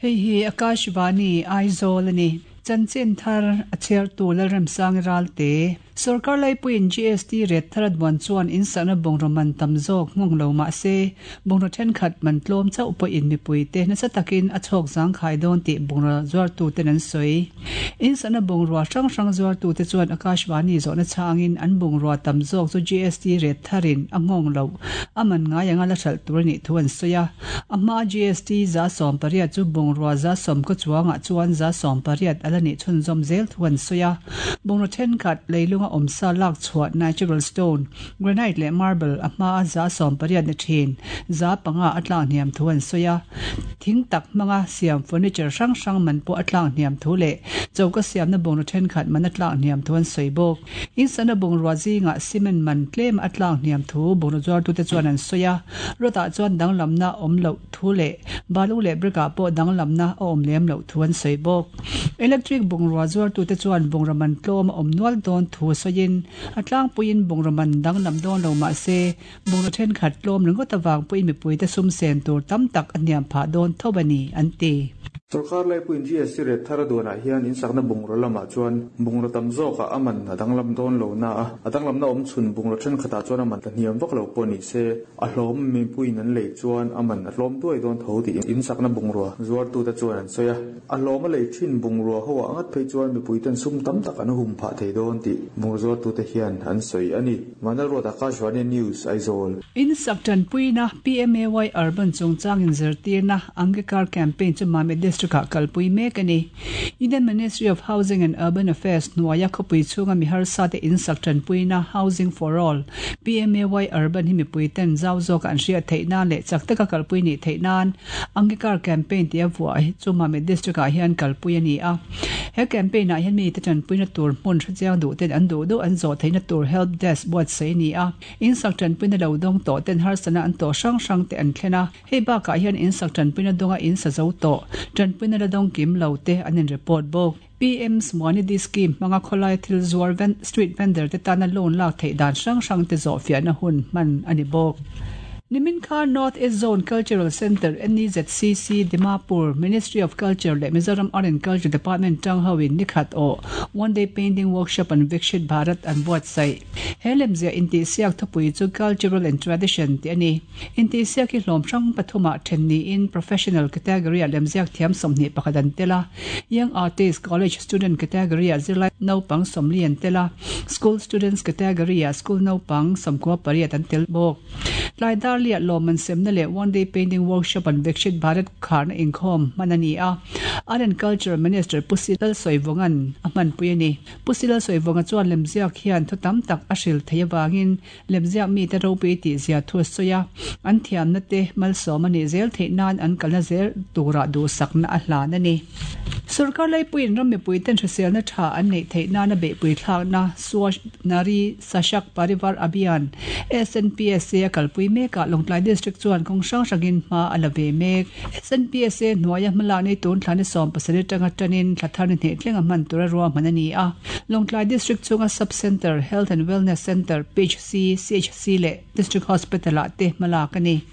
Hei hi Akashvani, Aizawl a ni. Chanchin thar a chhiartu Lalremsangi Ralte. Sorkar laipuiin GST ret thar a duan chuan insakna bungraw man tam zawk nghawng lo mah se, bungraw thenkhat man tlawm chauh pawhin mipuite nasa takin a chhawk zangkhai dawn tih bungraw zuartuten an sawi. Insakna bungrua hrang hrang zuartute chuan Akashvani zawhna chhangin an bungrua tam zawk chu GST ret tharin a nghawng loh a man ngai anga la hralh tur a nih thu an sawi a. A hmaa GST 18% chu bungrua 10 kaw chuangah chuan 18% a la nih chhunzawm zel thu an sawi a. Bungraw thenkhat leilunga awmsa lak chhuah natural stone, granite leh marble a hmaa 18% ni thin 5% a tlak hniam thu an sawi a. Thing tak hmanga siam furniture hrang hrang man pawh a tlak hniam thu leh choka siamna bungraw thenkhat man a tlak hniam thu an sawi bawk. Insana bungrua zingah cement man tlem a tlak hniam thu bungraw zuartute chuan an sawi a. Rod-ah chuan danglamna awm loh thu leh balu leh brick-ah pawh danglamna a awm lem loh thu an sawi bawk. Electric bungrua zuartute chuan bungraw man tlawm a awm nual dawn thu sawiin a tlangpuiin bungraw man danglam dawn lo mah se bungraw thenkhat tlawm ringawt avang pawhin mipuite sum sen tur tam tak a hniam phah dawn tho a ni, an ti. Sorkar laipuiin GST ret thar a duanah hian insakna bungraw lamah chuan bungraw tam zawkah a man a danglam dawn lo na a, a danglamna awm chhun bungraw thenkhatah chuan a man tla hniam vak lo pawh ni se, a hlawm mipuiin an lei chuan a man a tlawm duai dawn tho tih insakna bungrua zuartute chuan an sawi a. A hlawm a lei thin bungrua ho ah ngat phei chuan mipuiten sum tam tak an hum phah thei dawn tih bungraw zuartute hian an sawi a ni. Vanlalruat Akashvani News, Aizawl. Insak tanpuina PMAY Urban chungchang inzirtirna Angikar Campaign chu Mamit District-ah kalpui mek a ni. Union Ministry of Housing and Urban Affairs hnuaia khawpui chhunga mi harsate insak tanpuina Housing for All, PMAY Urban hi mipuiten zau zawka an hriat theih nan leh chak taka kalpui nih theih nan Angikar Campaign tia vuah hi chu Mamit District-ah hian kalpui a ni a. He campaign-ah hian mite tanpuina tur hmun hrechiang duh ten an duh duh an zawh theihna tur help desk buatsaih a ni a. Insak tanpuina lo dawng tawh ten harsatna an tawh hrang hrang te an thlen a. Hei bakah hian insak tanpuina dawnga in sa zo tawh, tanpuina la dawng kim lo te an in report bawk. PM Swanidhi Scheme hmanga khawlaia thil zuar street vendor te tana loan lak theih dan hrang hrang te zawhfiahna hun hman a ni bawk. Nimin kha North East Zone Cultural Centre, NEZCC, Dimapur, Ministry of Culture leh Mizoram Art and Culture Department tang hoin nikhat awh One Day Painting Workshop on Vikshit Bharat an buatsaih. He lemziah intihsiak thupui chu Cultural and Tradition tih a ni. Intihsiak hi hlawm hrang pathumah then niin Professional category-ah lemziak thiam 21 an tel a, Young Artist, College Student category-ah zirlai naupang 40 an tel a, School Students category-ah school naupang 98 an tel bawk. Tlai Darliah lawmman semna leh One Day Painting Workshop an Vikshit Bharat kharna inkhawm hman a ni a, Art and Culture Minister Pu Silal Sawivunga'n a hmanpui a ni. Pu Silal Sawivunga chuan lemziak hian thu tam tak a hril thei avangin lemziak mite ropui tih zia thu a sawi a, an thiamna te malsawm a nih zel theih nan an kalna zel turah duhsakna a hlan a ni. Sorkar laipuiin ram mipuiten hriselna tha an neih theih nana beihpui thlakna Swachh Nari Sashakt Parivar Abhiyan, SNPSA, a kalpui mekah Lawngtlai District chuan kawng hrang hrangin hma a la ve mek. SNPSA hnuaia hmalak ni tun thla ni 17 atanga tanin thla thar ni hnih tlenga hman tura ruahman a ni a. Lawngtlai District chhunga Sub Centre, Health and Wellness Centre, PHC, CHC leh District Hospital-ah te hmalak a ni.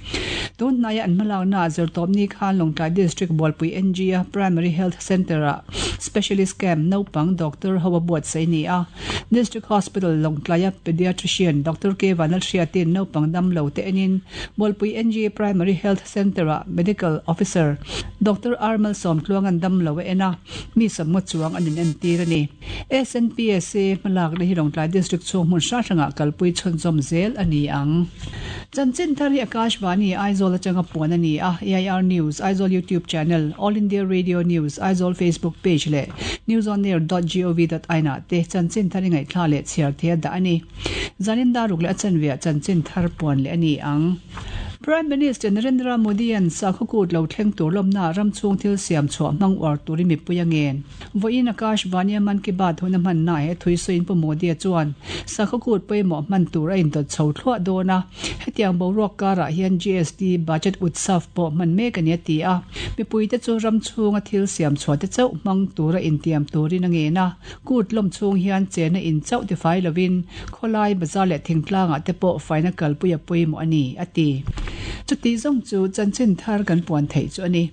Tun hnaia an hmalaknaah zirtawpni khan Lawngtlai District Bualpui NG-a Primary Health Centre-ah Specialist Camp naupang doctor ho a buatsaih a ni a. District Hospital Lawngtlaia Pediatrician Doctor K Vanlalhriatin naupang dam lo te enin Bualpui NG Primary Health Centre-ah Medical Officer Doctor R Malsawmtluanga'n dam lo a en a, mi sawmngaw chuang an inentir a ni. SNPSA hmalakna hi Lawngtlai District chhung hmun hrang hrangah kalpui chhunzawm zel a ni ang. Chanchin thar hi Akashvani, Aizawl atanga puan a ni a, AIR News, Aizawl YouTube Channel, All India Radio News, Aizawl Facebook Page leh newsonair dot gov dot in ah te chanchin thar i ngaihthla leh chhiar thei a dah a ni. Zanin daruk leh a chanveah chanchin thar puan leh a ni ang. Prime Minister Narendra Modi-a'n sakhaw kut lo thleng tur lawmnaah ram chhung thil siam chhuah hmang uar turin mipui a ngen. Vawiin Akash Vani-a Mann Ki Baat hun a hmannaah he thui sawiin Pu Modi-a chuan sakhaw kut pawimawh hman tur a indawt chho thluah dawn a, Hetiang boruak karah hian GST Budget Utsav pawh hman mek a ni a ti a, mipuite chu ram chhunga thil siam chhuah te chauh hmang tura intiam turin a ngen a, kut lawm chhung hian chena in chauh tifai lovin khawlai bazar leh thingtlangah te pawh faina kalpui a pawimawh a ni, a ti. Chuti zawng chu chanchin thar kan puan theih chu a ni.